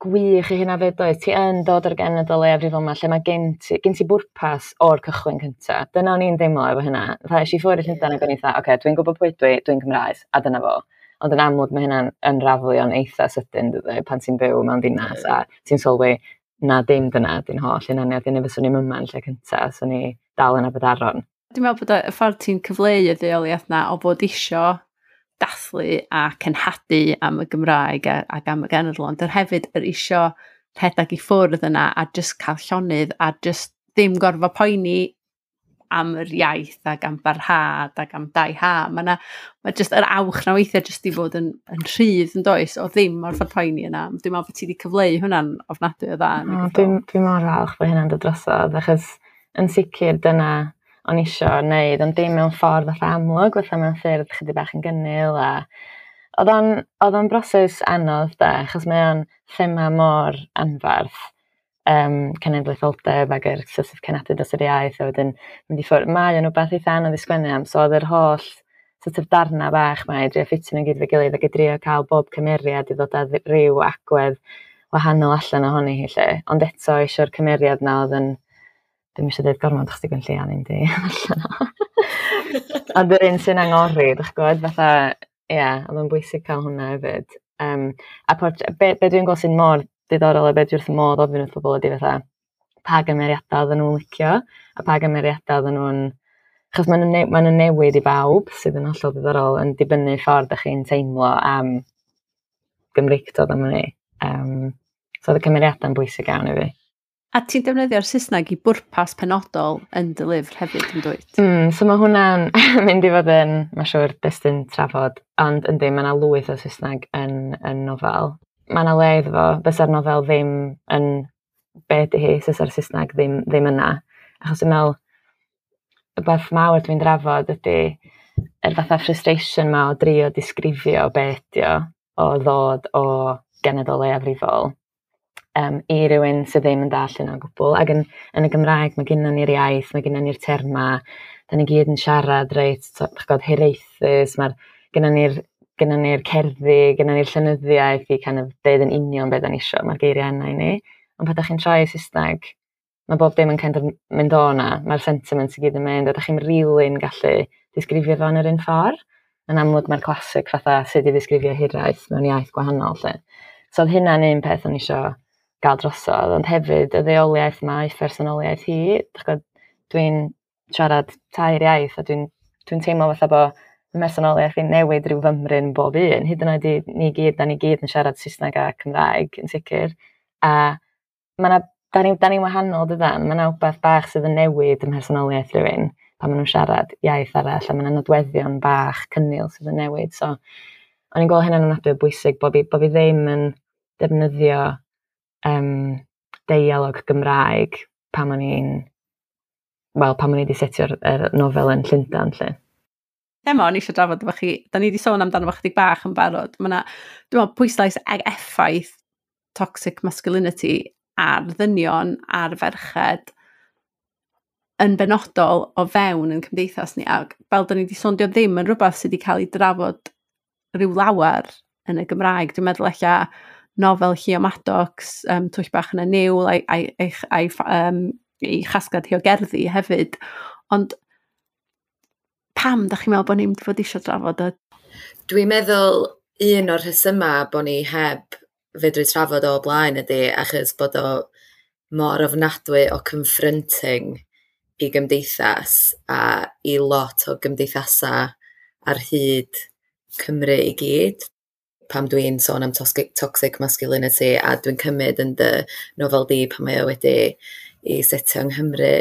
gwych i hynna fyd, does? Ti yn dod o'r genedl leiafrifol yma lle mae gen ti, gen ti bwrpas o'r cychwyn cynta. Dyna o'n i'n deimlo efo hynna. Fatha, es i ffwrdd i Llundain ac o'n i fatha, oce, okay, dwi'n gwybod pwy dwi, dwi'n Cymraes, a dyna fo. Ond yn amlwg mae hynna'n unravelio'n eitha sydyn, dydy, pan ti'n byw mewn dinas a ti'n sylwi na dim dyna di'n holl hunaniaeth, neu fyswn i'm yma yn lle cynta, swn i dal yn Aberdaron. Dwi'n meddwl bod y ffordd ti'n cyfleu y ddeuoliaeth na o fod isio dathlu a cenhadu am y Gymraeg a, ac am y genedl, ond yr hefyd yr isio rhedeg i ffwrdd yna a just cael llonydd a just ddim gorfod poeni am yr iaith ac am barhad ac am dau ha. Mae na, mae just yr awch na weithiau just i fod yn, yn rhydd yn does, o ddim orfod poeni yna. Dwi'n meddwl bod ti wedi cyfleu hwnna'n ofnadwy o dda. O, dwi'n dwi mor falch bod hynna'n dod drosodd, achos yn sicr dyna o'n isio wneud, ond dim mewn ffordd fatha amlwg, fatha mewn ffyrdd chydig bach yn gynnil, a oedd o'n, oedd o'n broses anodd de, achos mae o'n thema mor anfarth, um, cenedlaetholdeb ac yr sort of cenadu dros yr iaith, a wedyn mynd i ffwrdd. Mae o'n rhywbeth eitha anodd i sgwennu am, so oedd yr holl sort of darna bach 'ma i drio ffitio nhw gyd efo'i gilydd ac i drio cael bob cymeriad i ddod â ryw agwedd wahanol allan ohoni hi 'lly. Ond eto eisiau'r cymeriad 'na oedd yn, dwi'm eisiau dweud gormod achos 'di Gwenllian ddim 'di allan o. Ond yr un sy'n angori, dych gwybod, fatha, ie, yeah, oedd o'n bwysig cael hwnna hefyd. Um, a port, be, be dwi'n gweld sy'n mor diddorol a be dwi wrth y modd ofyn wrth bobl ydy fatha, pa gymeriadau oedden nhw'n licio, a pa gymeriadau oedden nhw'n... Achos maen nhw'n ne maen nhw'n newid i bawb, sydd yn hollol diddorol, yn dibynnu ffordd ydych chi'n teimlo am Gymreictod am hynny. Um, so oedd y cymeriadau'n bwysig iawn i fi. A ti'n defnyddio'r Saesneg i bwrpas penodol yn dy lyfr hefyd, yn dwyt? Mm, so mae hwnna'n mynd i fod yn, mae'n siŵr, destun trafod, ond yndi, mae yna lwyth o Saesneg yn, yn nofel. Mae yna le iddo fo, fysa'r nofel ddim yn be ydy hi, fysa'r Saesneg ddim, ddim yna. Achos dwi'n meddwl, y beth mawr dwi'n drafod ydy yr fatha frustration ma o drio disgrifio be ydy o, o ddod o genedl leiafrifol um, i rywun sydd ddim yn dallt hynna o gwbl. Ac yn, yn y Gymraeg mae gennym ni'r iaith, mae gennym ni'r terma, da ni gyd yn siarad reit, dych gwybod, hiraethus, mae'r gennym ni'r gennym ni'r cerddi, gennym ni'r llenyddiaeth i kind of deud yn union beth da ni isio, mae'r geiriau yna i ni. Ond pan da chi'n troi i Saesneg, mae bob dim yn kind of mynd o na, mae'r sentiment i gyd yn mynd, a da chi'n really'n gallu disgrifio fo yn yr un ffordd. Yn amlwg mae'r classic fatha sut i ddisgrifio hiraeth mewn iaith gwahanol 'lly. So oedd hynna'n un peth o'n i isio gael drosodd, ond hefyd y ddeuoliaeth ma i phersonoliaeth hi. Dych gwybod, dwi'n siarad tair iaith a dwi'n dwi'n teimlo fatha bo' mhersonoliaeth i'n newid rhyw fymryn bob un, hyd yn oed i ni gyd, da ni gyd yn siarad Saesneg a Cymraeg yn sicr. A ma' 'na, da ni, da ni'n wahanol dydan, ma' 'na wbath bach sydd yn newid ym mhersonoliaeth rhywun pan maen nhw'n siarad iaith arall, a ma' 'na nodweddion bach cynnil sydd yn newid. So o'n i'n gweld hynna'n ofnadwy o bwysig bo' fi, bo' fi ddim yn defnyddio um, deialog Gymraeg pan o'n i'n, wel, pan o'n i wedi setio'r er nofel yn Llundain 'lly. Thema o'n i eisiau drafod efo chi, da ni wedi sôn amdano fo chydig bach yn barod. Mae 'na, dwi'n meddwl, pwyslais ag effaith toxic masculinity ar ddynion, ar ferched, yn benodol o fewn yn cymdeithas ni. Ac fel da ni wedi sôn, dio ddim yn rhywbeth sydd wedi cael ei drafod rhyw lawer yn y Gymraeg. Dwi'n meddwl ella nofel Llio Maddox, um, Twll Bach yn y Niwl, a'i, a'i, a'i, a'i, um, ei chasgliad hi o gerddi hefyd. Ond pam da chi'n meddwl bod ni'n fod eisiau drafod y... Dwi'n meddwl un o'r rhesymau bod ni heb fedru trafod o blaen ydy achos bod o mor ofnadwy o confronting i gymdeithas a i lot o gymdeithasau ar hyd Cymru i gyd. Pam dwi'n sôn am toxic, toxic masculinity a dwi'n cymryd yn dy nofel di pan mae o wedi i setio yng Nghymru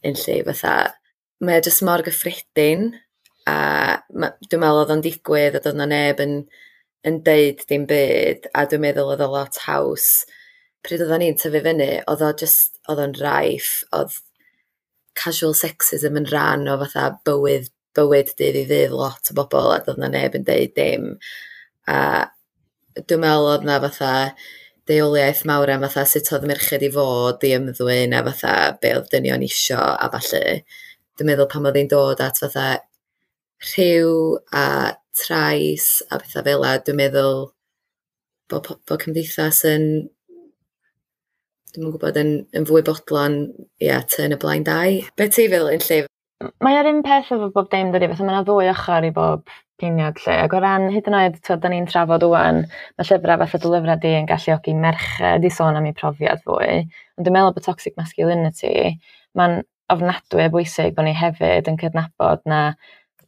yn lle fatha, mae o jyst mor gyffredin a ma, dwi'n meddwl oedd o'n digwydd a doedd 'na neb yn, yn deud dim byd a dwi'n meddwl oedd o lot haws. Pryd oedden ni'n tyfu fyny, oedd o jyst, oedd o'n rife, oedd casual sexism yn rhan o fatha bywyd, bywyd dydd i ddydd lot o bobl, a doedd 'na neb yn deud dim. A dwi'n meddwl oedd 'na fatha deuoliaeth mawr am fatha sut oedd merched i fod i ymddwyn a fatha be oedd dynion isio a ballu. Dwi'n meddwl pan oedd hi'n dod at fatha rhyw a trais a pethau fel 'a, dwi'n meddwl bod, bod cymdeithas yn, dwi'm yn gwybod, yn, yn fwy bodlon, ia, turn a blind eye. Be ti'n feddwl yn lle? Mae o'r un peth efo bob dim, dydi, fatha mae yna ddwy ochr i bob ceiniog lle. Ac o ran hyd yn oed, twod, da ni'n trafod ŵan, mae llyfrau fatha dy lyfrau di yn galluogi merched i sôn am eu profiad fwy. Ond dwi'n meddwl bod toxic masculinity, mae'n ofnadwy o bwysig bod ni hefyd yn cydnabod na,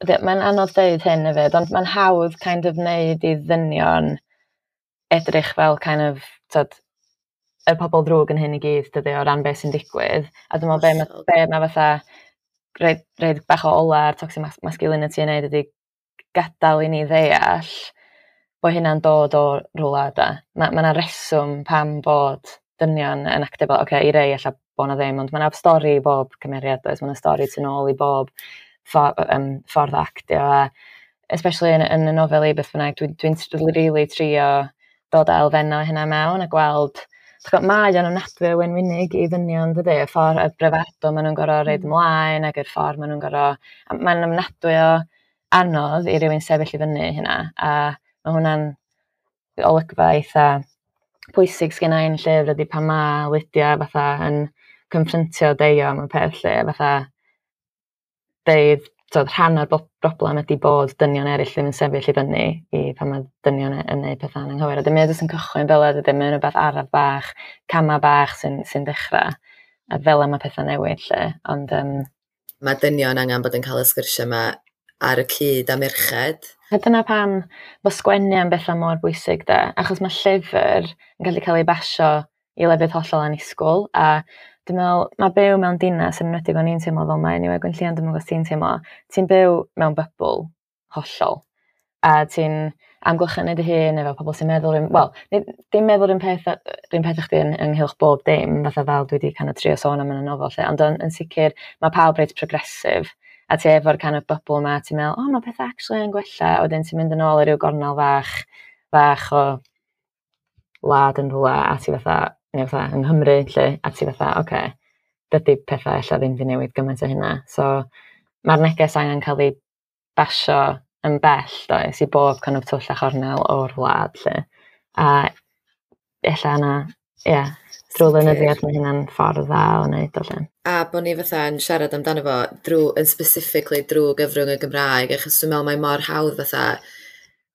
mae'n anodd deud hyn hefyd, ond mae'n hawdd kind of wneud i ddynion edrych fel kind of, twod, y pobl ddrwg yn hyn i gyd, dydy, o ran beth sy'n digwydd. A dwi'n meddwl be mae, be mae fatha rhoid, rhoid bach o ola ar toxic masculinity yn neud ydy gadael i ni ddeall bod hynna'n dod o rhywle da. Mae ma 'na reswm pam bod dynion yn actio fel, oce, okay, i rei ella bo' 'na ddim, ond mae 'na stori i bob cymeriad, does? Mae 'na stori tu nôl i bob ffor, um, ffordd o actio, a especially yn, yn y nofel i beth bynnag, dwi'n dwi, dwi really trio dod â elfennau hynna mewn a gweld. Gwybod, mae o'n ofnadwy o wenwynig i ddynion, dydy, y ffordd y bravado maen nhw'n gorfod rhoid ymlaen ac yr ffordd maen nhw'n gorfod. Mae'n ofnadwy o anodd i rywun sefyll i fyny hynna, a mae hwnna'n olygfa eitha pwysig sgynna i'n llyfr ydy pan ma' Lydia fatha yn confrontio Deio am y peth lle, fatha deud, t'od, rhan o'r broblem ydy bod dynion eraill ddim yn sefyll i fyny i pan mae dynion yn neud pethau'n anghywir. A dim jyst yn cychwyn fel ydy, mae'n rhywbeth araf bach, camau bach sy'n sy dechrau. A fel yma pethau newid lle. Ond, um, mae dynion angen bod yn cael y sgyrsiau yma ar y cyd â merched. A dyna pam bod sgwennu am bethau mor bwysig de, achos mae llyfr yn gallu cael ei basio i lefydd hollol annisgwyl, a dwi'n meddwl, mae byw mewn dinas, yn enwedig o'n i'n teimlo fel mae, anyway, Gwenllian, dwi'n meddwl ti'n teimlo, ti'n byw mewn bubble hollol, a ti'n amgylchynu dy hun efo pobl sy'n meddwl, wel, dim meddwl un peth, un peth chdi yn, ynghylch bob dim, fatha fel dwi wedi kind of trio sôn am yn y nofel lle, ond yn, yn sicr mae pawb reit progressive, a ti efo'r kind of bubble ma, ti'n meddwl, oh, mae pethau actually yn gwella, a wedyn ti'n mynd yn ôl i ryw gornel fach, fach o wlad yn rhywle, a ti fatha, neu fatha yng Nghymru, lle, a ti fatha, oce, okay, dydy pethau ella ddim wedi newid gymaint o hynna. So, mae'r neges angen cael ei basio yn bell, does, i bob kind of twll a chornel o'r wlad, lle. A ella yna, ie, yeah, drwy lenyddiaeth mae hynna'n ffordd dda o wneud o lle. A bod ni fatha yn siarad amdano fo drwy, yn specifically drwy gyfrwng y Gymraeg, achos dwi'n meddwl mae mor hawdd fatha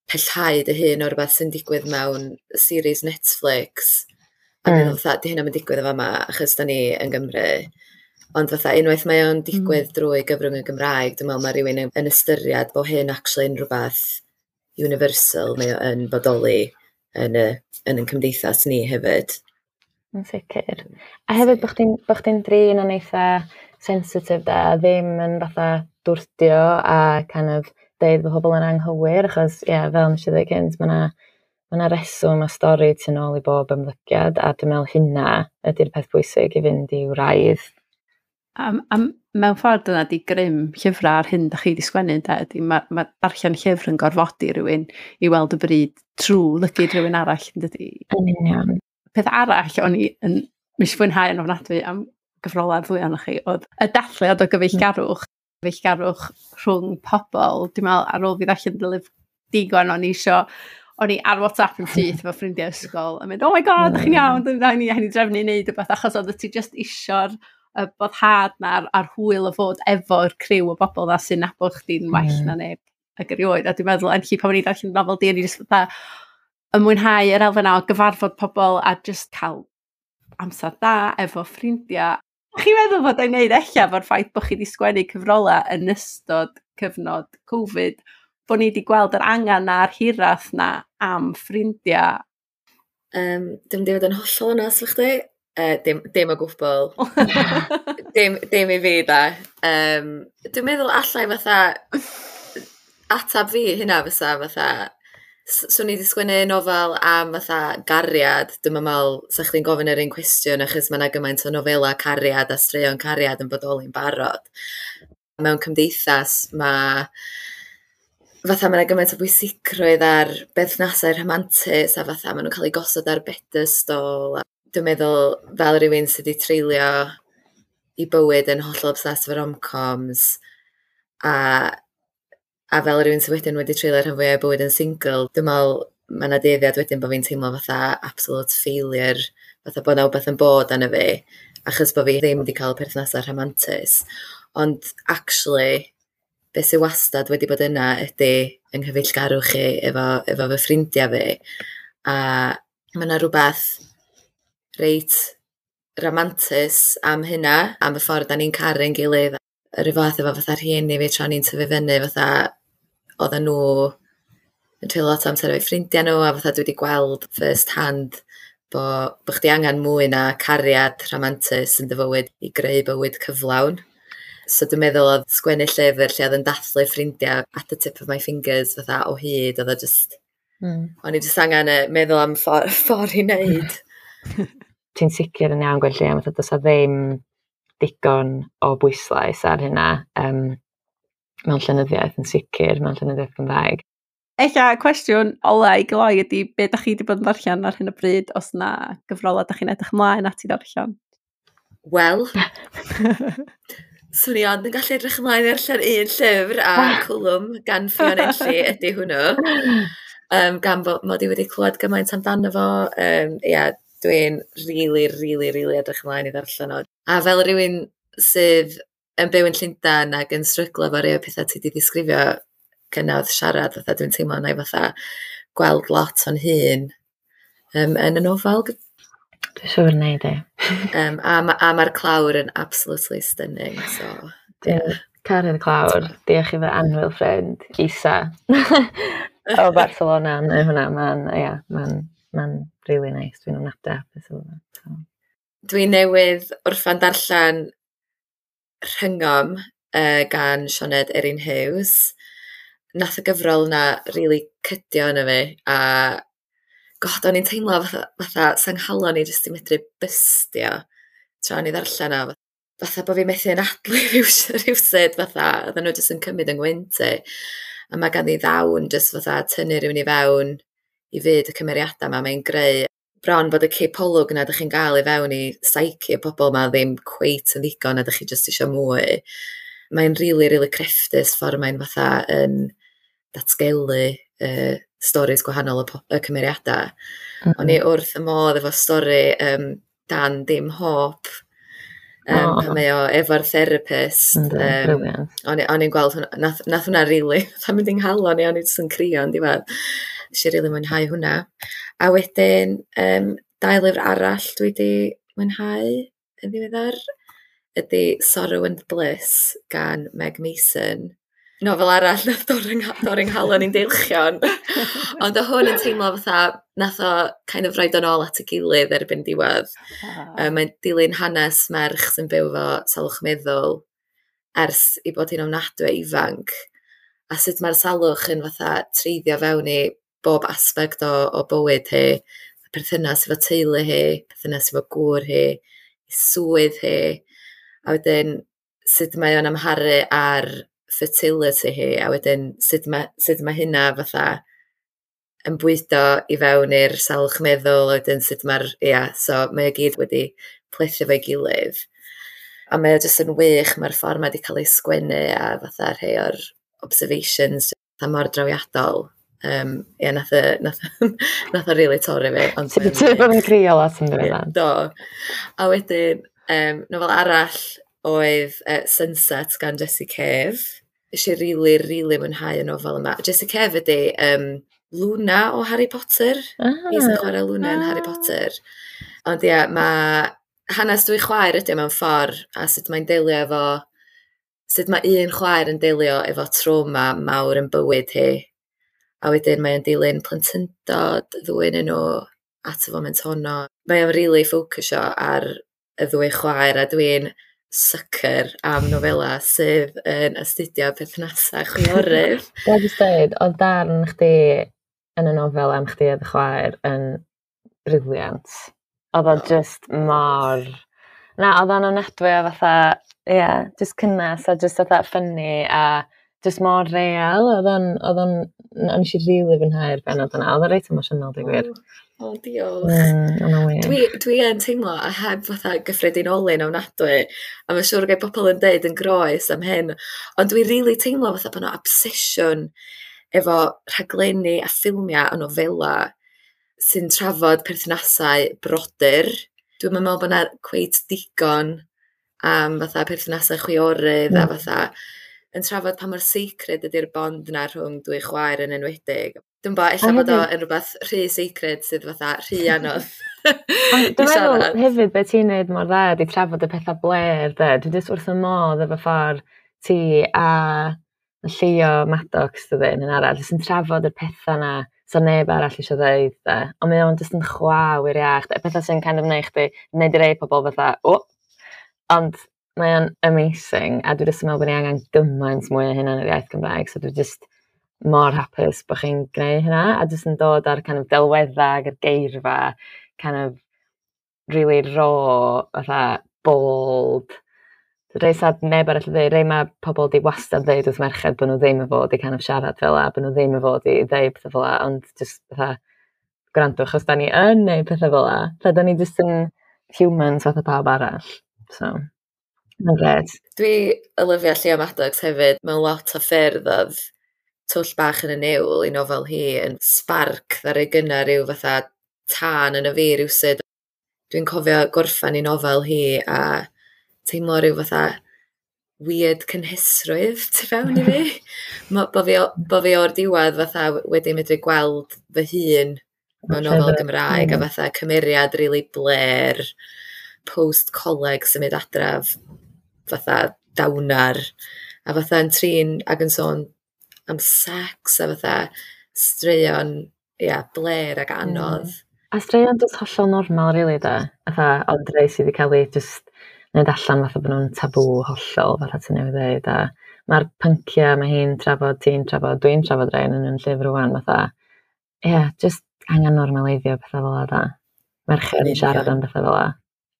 pellhau dy hun o rywbeth sy'n digwydd mewn series Netflix. A mm. meddwl fatha, di hynna'n digwydd efo yma, achos da ni yn Gymru. Ond fatha, unwaith mae o'n digwydd mm. drwy gyfrwng y Gymraeg, dwi'n meddwl mae rhywun yn, yn ystyried bod hyn actually yn rhywbeth universal, mae o yn bodoli yn y, yn yn cymdeithas ni hefyd. Yn sicr. A hefyd bod chdi'n bo chdi'n drin yn eitha sensitif da, ddim yn fatha dwrdio a kind of deud bod pobl yn anghywir, achos ie, yeah, fel nes i ddweud cynt, mae 'na ma' 'na reswm a stori tu nôl i bob ymddygiad, a dwi'n meddwl hynna ydy'r peth bwysig i fynd i wraidd. Am, am, mewn ffordd dyna di grym llyfrau ar hyn da chi wedi sgwennu, de, ydy mae ma darllen llyfr yn gorfodi rhywun i weld y bryd trwy lygid rhywun arall, yn dydy? Yn union. Peth arall o'n i yn mis fwynhau yn ofnadwy am gyfrolau ddwy ohonoch chi oedd y dathliad o gyfeillgarwch, gyfeillgarwch rhwng pobl. Dwi'n meddwl ar ôl fi ddarllen dy lyfr digon o'n i isio, o'n i ar WhatsApp yn syth efo ffrindiau ysgol yn mynd, oh my god, ydych chi'n iawn, dwi'n ni, ni drefnu i wneud rhywbeth, achos oedd ti just isio'r y boddhad na a'r, a'r hwyl o fod efo'r criw o bobl na sy'n nabod chdi'n well mm. na neb ag erioed. A dwi'n meddwl, enlli pan o'n i darllen nofel di, o'n i just fatha yn mwynhau yr elfen o gyfarfod pobl a just cael amser da efo ffrindiau. Chi'n meddwl fod o'n neud ella fo'r ffaith bod chi wedi sgwennu cyfrolau yn ystod cyfnod Covid, bod ni wedi gweld yr angen na'r hiraeth na am ffrindiau? Um, Dwi'n mynd i fod yn hollol onest efo chdi. Uh, dim, dim o gwbl. dim, dim i fi da. Um, dwi'n meddwl allai fatha atab fi hynna fysa fatha Swn i wedi sgwennu nofel am fatha gariad, dwi'n meddwl sa chdi'n gofyn yr un cwestiwn achos mae yna gymaint o nofela cariad a straeon cariad yn bodoli'n barod. Mewn cymdeithas mae fatha mae yna gymaint o bwysigrwydd ar berthnasau rhamantus a fatha maen nhw'n cael eu gosod ar bedestol. Dwi'n meddwl fel rhywun sydd wedi treulio i bywyd yn hollol obsessed efo rom-coms a a fel rhywun sydd wedyn wedi treulio rhan fwyaf o bywyd yn single, dwi'n meddwl mae yna dueddiad wedyn bod fi'n teimlo fatha absolute failure, fatha bod 'na wbath yn bod arno fi, achos bod fi ddim wedi cael perthnasau rhamantus. Ond actually, be sydd wastad wedi bod yna ydy yng nghyfeillgarwch chi efo, efo fy ffrindiau fi. A mae yna rhywbeth reit ramantus am hynna, am y ffordd da ni'n caru'n gilydd. Yr un fath efo fatha rhieni fi tra ni'n tyfu fyny, fatha oedden nhw yn treulio lot o amser efo'u ffrindiau nhw, a fatha dwi wedi gweld first hand bo, bo chdi angen mwy na cariad rhamantus yn dy fywyd i greu bywyd cyflawn. So dwi'n meddwl oedd sgwennu llyfr lle oedd yn dathlu ffrindiau at the tip of my fingers fatha o hyd, oedd o just... Mm. O'n i just angen meddwl am ffordd, ffordd i wneud. Ti'n sicr yn iawn, Gwenllian, fatha does ddim digon o bwyslais ar hynna um, mewn llenyddiaeth yn sicr, mewn llenyddiaeth Gymraeg. Ella cwestiwn ola i gloi ydy be da chi wedi bod yn ddarllen ar hyn o bryd, os na gyfrolau da chi'n edrych ymlaen at i ddarllen? Wel, swn i ond yn gallu edrych ymlaen i ddarllen un llyfr a Cwlwm gan Ffion Enlli ydy hwnnw. Um, gan bod mod i wedi clywed gymaint amdano fo. Um, ia, dwi'n really, really, really edrych ymlaen i ddarllen o. A fel rhywun sydd yn byw yn Llundain ac yn stryglo efo rhai o pethau ti wedi ddisgrifio gynna wrth siarad, fatha dwi'n teimlo na i fatha gweld lot o'n hun um, yn y nofel. Dwi'n siŵr wneud e. Um, a, ma, a mae'r clawr yn absolutely stunning. So, yeah. Caru'r clawr. Diolch i fy annwyl ffrind, Isa, o Barcelona. Neu hwnna, mae'n, yeah, mae'n mae'n really nice. Dwi'n ofnadwy hapus efo fo. So. Dwi newydd orffan darllen Rhyngom uh, gan Sioned Erin Hughes. Nath y gyfrol yna really cydio yna fi, a god, o'n i'n teimlo fatha, fatha sa'n nghalon i jyst i medru bystio tra o'n i ddarllen o. Fatha bod fi methu anadlu rhywsut, fatha, oedden nhw jyst yn cymryd yng ngwynt i. A mae ganddi ddawn jyst fatha tynnu rhywun i fewn i fyd y cymeriadau yma, mae'n greu bron bod y cipolwg yna ydych chi'n gael i fewn i psyche y pobl yma ddim cweit yn ddigon a ydych chi jyst eisiau mwy. Mae'n really, really crefftus ffordd mae'n fatha yn datgelu uh, stories gwahanol y, y cymeriadau. Mm -hmm. O'n i wrth y modd efo stori um, Dan Dim Hope, um, oh. pan mae o efo'r therapist. Um, o'n i'n gweld hwnna, nath, nath hwnna really, fatha mynd i'n nghalon i, o'n i jyst yn crio yn diwedd. Nes i really mwynhau hwnna. A wedyn, um, dau lyfr arall dwi wedi mwynhau yn ddiweddar ydy Sorrow and Bliss gan Meg Mason. Nofel arall nath dorri'n nghalon i'n deilchion. Ond o hwn yn teimlo fatha, nath o kind of roid o'n ôl at y gilydd erbyn diwedd. Ah. Um, mae'n dilyn hanes merch sy'n byw efo salwch meddwl ers i bod hi'n ofnadwy ifanc. A sut mae'r salwch yn fatha treiddio fewn i bob aspect o, o bywyd hi. Perthynas efo teulu hi, perthynas efo gŵr hi, swydd hi. A wedyn sut mae o'n amharu ar fertility hi, a wedyn sut mae, sut mae hynna fatha yn bwydo i fewn i'r salwch meddwl, a wedyn sut mae'r, ia, so mae o gyd wedi plethu efo'i gilydd. A mae o jyst yn wych, mae'r ffordd mae wedi cael ei sgwennu a fatha rhai o'r observations fatha mor drawiadol. Um, ia, nath o, nath, nath o really torri fi. Ond Ti'n bod yn crio lot yn ddiweddar. Do. A wedyn, um, nofel arall oedd uh, Sunset gan Jessie Cave. Nes i really, really mwynhau y nofel yma. Jessie Cave ydy um, Luna o Harry Potter. Ah. Hi sy'n chwarae Luna yn ah. Harry Potter. Ond ia, mae hanes dwy chwaer ydy mewn ffordd, a sut mae'n delio efo, sut mae un chwaer yn delio efo trauma mawr yn bywyd hi. A wedyn mae'n dilyn plentyndod, ddwy yn nhw at y foment honno. Mae o'n really ffocysio ar y ddwy chwaer, a dwi'n sucker am nofela sydd yn astudio perthnasau chwiorydd. Dwi'n just dweud, oedd darn chdi yn y nofel am chdi a dy chwaer yn brilliant. Oedd o just mor... Na, oedd o'n ofnadwy o fatha, ie, yeah, just cynnes a just fatha funny a just mor real. Oedd o'n, oedd o'n, o'n i rili fwynhau'r bennod yna. Oedd o'n reit emosiynol, dweud gwir. O, oh, diolch. Mm, o'n wych. Dwi, dwi yn teimlo a heb fatha gyffredinoli'n ofnadwy, a mae'n siŵr gai bobl yn deud yn groes am hyn, ond dwi rili teimlo fatha bod 'na obsesiwn efo rhaglenni a ffilmiau a nofela sy'n trafod perthnasau brodyr. Dwi'm yn meddwl bod 'na cweit digon am fatha perthnasau chwiorydd mm. a fatha yn trafod pa mor sacred ydy'r bond 'na rhwng dwy chwaer yn enwedig. Dwi'n bo, ella bod o yn rhywbeth rhy sacred sydd fatha rhy anodd. Ond dwi'n meddwl hefyd be ti'n neud mor dda ydi trafod y pethau blêr de. Dwi jyst wrth y modd efo ffordd ti a Llio Maddox dydy yn arall, jyst yn trafod y pethau na so neb arall eisiau ddeud de. Ond mae o'n jyst yn chwa wir iach. Y pethau sy'n kind of neud chdi, neud i rei pobl fatha, o! Ond mae o'n amazing, a dwi jyst yn meddwl bod ni angen gymaint mwy o hynna yn yr iaith Gymraeg, so dwi jyst mor hapus bod chi'n gwneud hynna, a jyst yn dod ar kind of delweddau ag yr geirfa, kind of really raw, fatha bold, rei sad neb arall yn dweud, rei mae pobl di wastad ddeud wrth merched bod nhw ddim yn fod i kind of siarad fel 'a, bod nhw ddim yn fod i ddeud pethau fel 'a, ond just fatha gwrandwch os da ni yn neud pethau fel 'a, fatha da ni just yn humans fatha pawb arall, so mae'n grêt. Dwi yn lyfio Llio Maddox hefyd, mewn lot o ffyrdd oedd Twll Bach yn y Niwl i nofel hi yn spark ddaru gynna ryw fatha tân yn y fi rywsut. Dwi'n cofio gorffan i nofel hi a teimlo ryw fatha weird cynhesrwydd tu fewn i fi. Mo, bo fi, bo fi o'r diwedd fatha wedi medru gweld fy hun mewn nofel Gymraeg a fatha cymeriad rili blêr post-coleg symud adraf fatha dawnar a fatha yn trin ac yn sôn am sex a fatha straeon, ia, blêr ac anodd. Mm. A straeon just hollol normal, really, da. Fatha, ond rei sydd wedi cael ei just wneud allan fatha bod nhw'n tabŵ hollol, fatha ti'n newydd dweud. A mae'r pynciau mae hi'n trafod, ti'n trafod, dwi'n trafod rhain yn yn llyfr rwan, fatha, ie, yeah, just angen normaleiddio pethau fel 'a, da. Merched yn siarad am bethau fel 'a.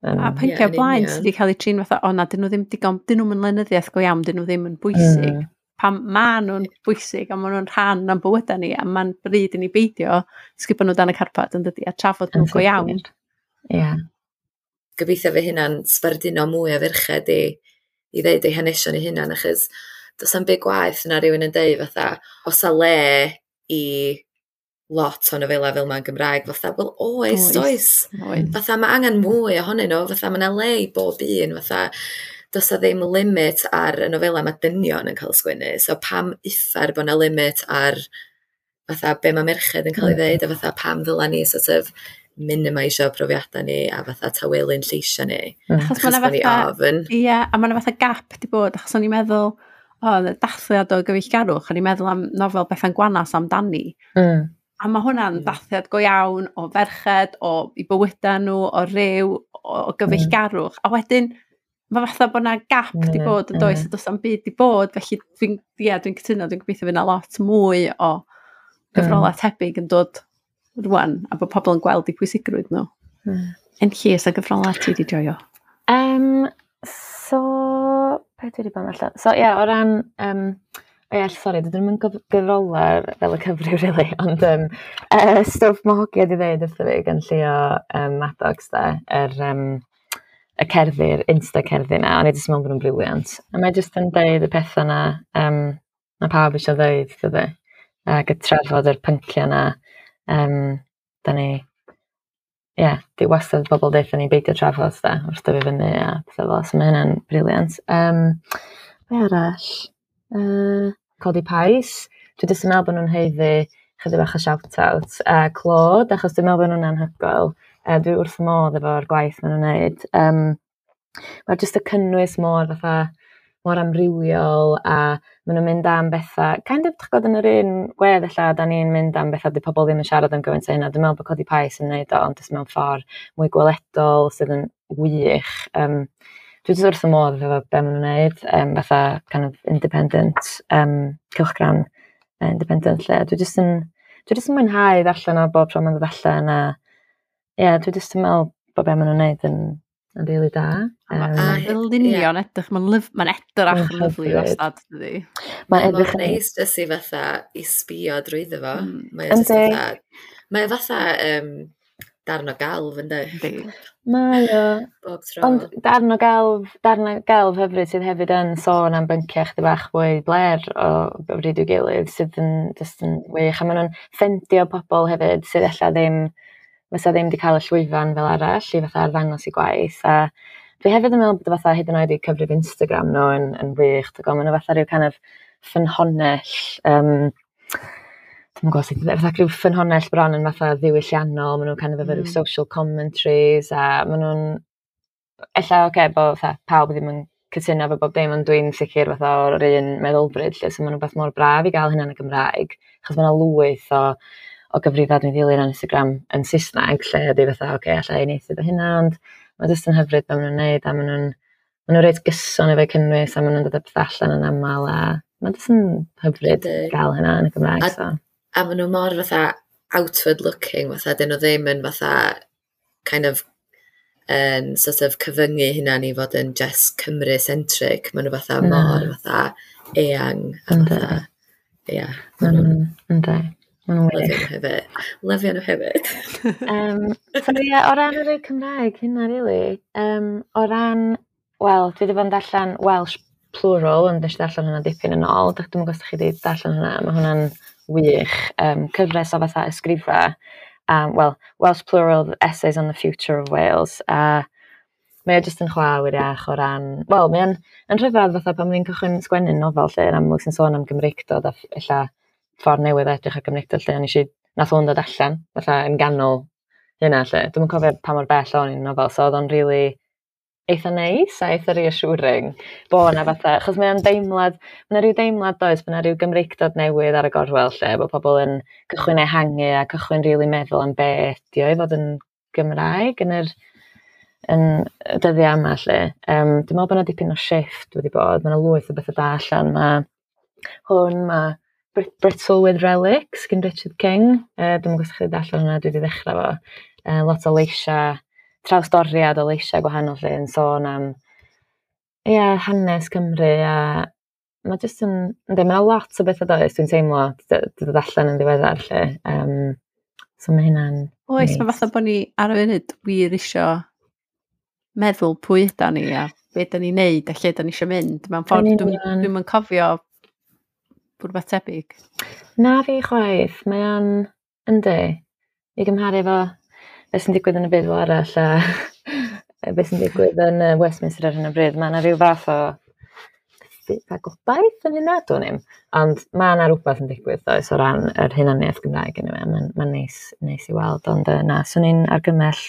Um, a pynciau yeah, blaen sydd wedi cael eu trin fatha, o na, dyn nhw ddim digon, dyn nhw'n lenyddiaeth go iawn, dyn nhw ddim yn bwysig. Mm. Pam ma nhw'n bwysig a ma nhw'n rhan o'n bywydau ni, a ma'n bryd i ni beidio sgubo nhw dan y carpad yn dydi, a trafod nhw go iawn. Ie. Yeah. Gobeithio fe hynna'n sbarduno mwy o ferched i, i ddeud eu hanesion eu hunan, achos does 'na'm byd gwaeth na rhywun yn deud fatha, oes 'na le i lot o nofela fel ma'n Gymraeg, fatha, wel oes, oes. oes. Fatha mae angen mwy ohonyn nhw, fatha mae 'na le i bob un, fatha does 'na ddim limit ar y nofela mae dynion yn cael sgwennu, so pam uffar bod 'na limit ar fatha be mae merched yn cael ei ddeud, a fatha pam ddyla ni sort of minimisio profiadau ni a fatha tawelu'n lleisiau ni. Mm. Achos ma' 'na fatha, ie, a ma' 'na fatha gap di bod, achos o'n i'n meddwl, o, dathliad o gyfeillgarwch, o'n i'n meddwl am nofel Bethan Gwanas amdani. Mm. A mae hwnna'n dathliad go iawn o ferched, o i bywydau nhw, o ryw, o, o gyfeillgarwch. A wedyn, mae fatha bod 'na gap mm, di bod yn does, mm. a does 'na'm byd di bod, felly dwi'n yeah, dwi'n cytuno, dwi'n gobeithio fydd 'na lot mwy o gyfrolau mm. tebyg yn dod rwan, a bod pobl yn gweld eu pwysigrwydd nhw. Mm. Enlli, oes 'na gyfrolau ti di joio? Um, so, be dwi wedi bod yn allan? So, ie, yeah, o ran... Um, O ie, sori, dydyn nhw'n gyfrolau fel y cyfryw, really, ond um, uh, stwff mae hogia di ddeud wrtho fi gan Llio um, Maddox, da, yr, um, y cerddi'r Insta-cerddi na, o'n i jyst yn meddwl bod nhw'n brilliant. A mae jyst yn deud y pethau na, um, na pawb eisiau ddeud, dydy, ac y trafod yr pynciau na, um, da ni, ie, yeah, di wastad bobl deutha ni beidio trafod, da, wrth dyfu fyny a pethau fel, so mae hynna'n brilliant. Um, be arall? Uh, Codi Pais. Dwi jyst yn meddwl bod nhw'n haeddu chydig bach o shout-out. Uh, Clod, achos dwi'n meddwl bod nhw'n anhygoel. Uh, dwi wrth modd efo'r gwaith maen nhw'n neud. Um, Mae'r jyst y cynnwys mor fatha, mor amrywiol, a maen nhw'n mynd am bethau, kind of, dych gwybod, yn yr un wedd ella, da ni'n mynd am bethau di pobl ddim yn siarad am gymaint o hynna. Dwi'n meddwl bod Codi Pais yn neud o, ond jyst mewn ffordd mwy gweledol sydd yn wych. Um, dwi jyst wrth y modd efo be maen nhw'n neud, um, fatha kind of independent um, cylchgrawn independent lle. Dwi jyst yn, Dwi jyst yn mwynhau ddarllen o bob tro mae'n dod allan a ie, yeah, dwi jyst yn meddwl bod be maen nhw'n neud yn, yn rili da. Um, a ddylunio'n edrych, mae'n ma edrach yn lyfli wastad, dydi? Mae'n edrych yn neis jyst i fatha i sbio drwyddo fo. Mm. Mae o jyst fatha, mae o fatha um, darn o gelf, yndi? Mae o. Bob tro. Ond darn o gelf, darn o gelf hyfryd sydd hefyd yn sôn am bynciau chydig bach fwy bler o bryd i'w gilydd sydd yn just yn wych. A maen nhw'n ffendio pobl hefyd sydd ella ddim, fysa ddim wedi cael y llwyfan fel arall i fatha arddangos i gwaith. A dwi hefyd yn meddwl bod fatha hyd yn oed i cyfrif Instagram nhw yn, yn wych. Dwi'n maen nhw fatha rhyw kind of ffynhonnell, um, dwi'm yn gwybod sut, fatha rhyw ffynhonnell bron yn fatha ddiwylliannol, maen nhw'n kind of efo rhyw mm. social commentaries, a maen nhw'n, ella oce, okay, bod fatha pawb ddim yn cytuno efo bob dim, ond dwi'n sicr fatha o'r un meddylfryd, lle, so maen nhw'n beth mor braf i gael hynna yn y Gymraeg, achos maen nhw lwyth o, o gyfrifau dwi'n ddilyn ar Instagram yn Saesneg, lle ydy fatha, oce, okay, alla i uniaethu efo hynna, ond mae jyst yn hyfryd be maen nhw'n neud, a maen nhw'n maen nhw reit gyson efo'u cynnwys, a maen nhw'n dod â pethau allan yn aml, a mae jyst yn hyfryd gael hynna yn y Gymraeg. A, so. A maen nhw mor fatha outward looking, fatha, dyn nhw ddim yn fatha kind of yn sort of cyfyngu hunan i fod yn just Cymru-centric. Maen nhw fatha Na. mor fatha eang a fatha, ia. Maen nhw'n, yndi. Maen nhw'n Lyfio wych. nhw hefyd. Lyfio nhw hefyd. Um, so ie, o ran yr Cymraeg, hynna really. Um, o ran, wel, dwi wedi bod yn darllen Welsh Plural, ond nes i darllen hwnna dipyn yn ôl. Dych dwi'm yn gwybod os dach chi wedi darllen hwnna, mae hwnna'n wych. Um, cyfres o fatha ysgrifa, um, well, Welsh Plural Essays on the Future of Wales. A mae o jyst yn chwa wir iach o ran, wel, mae o'n yn rhyfedd fatha pan o'n i'n cychwyn sgwennu nofel lle, yn amlwg sy'n sôn am Gymreictod a ella ffordd newydd edrych ar Gymreictod lle, o'n i eisiau, nath hwn dod allan, fatha yn ganol hynna lle. Dwi'm yn cofio pa mor bell o'n i'n nofel, so oedd o'n really eitha neis a eitha reassuring bo' 'na fatha, achos mae o'n deimlad, ma' 'na ryw deimlad does, ma' 'na ryw Gymreictod newydd ar y gorwel lle, bod pobl yn cychwyn ehangu a cychwyn rili meddwl am be ydi o i fod yn Gymraeg yn yr yn y dyddiau yma lle. Um, dwi'n meddwl bod 'na dipyn o shift wedi bod, ma' 'na lwyth o bethau da allan, ma' hwn, ma' Brittle with Relics gan Richard King, uh, dwi'm yn gwybod os chi wedi darllen hwnna, dwi wedi ddechrau fo. Uh, lot o leisiau, trawsdoriad o leisiau gwahanol lle yn sôn am ia, hanes Cymru, a mae jyst yn, yndi, mae 'na lot o bethau does, dwi'n teimlo, 'di dod allan yn ddiweddar lle. Um, so mae hynna'n Oes, neis. Mae fatha bod ni ar y funud wir isio meddwl pwy ydan ni a be da ni'n neud a lle da ni isio mynd. Mewn ffordd, Yn dwi'm union. dwi'm yn cofio rhywbeth tebyg. Na fi chwaith, mae o'n, yndi, i gymharu efo beth sy'n digwydd yn y byd fel arall a beth sy'n digwydd yn yy Westminster ar hyn o bryd, mae yna rhyw fath o a gobaith yn hynna, dwn i'm. Ond mae yna rhywbeth yn digwydd does o ran yr hunaniaeth Gymraeg anyway, mae'n ma neis, neis i weld, ond yy, na, swn i'n argymell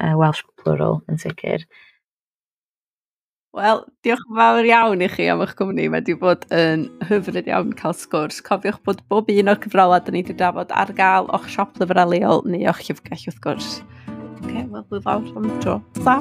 uh, Welsh Plural yn sicr. Wel, diolch yn fawr iawn i chi am eich cwmni. Mae wedi bod yn hyfryd iawn cael sgwrs. Cofiwch bod bob un o'r cyfrolau da ni wedi drafod ar gael o'ch siop lyfrau leol neu o'ch llyfrgell wrth gwrs. Oce, okay, wel, hwyl fawr am y tro. Ta!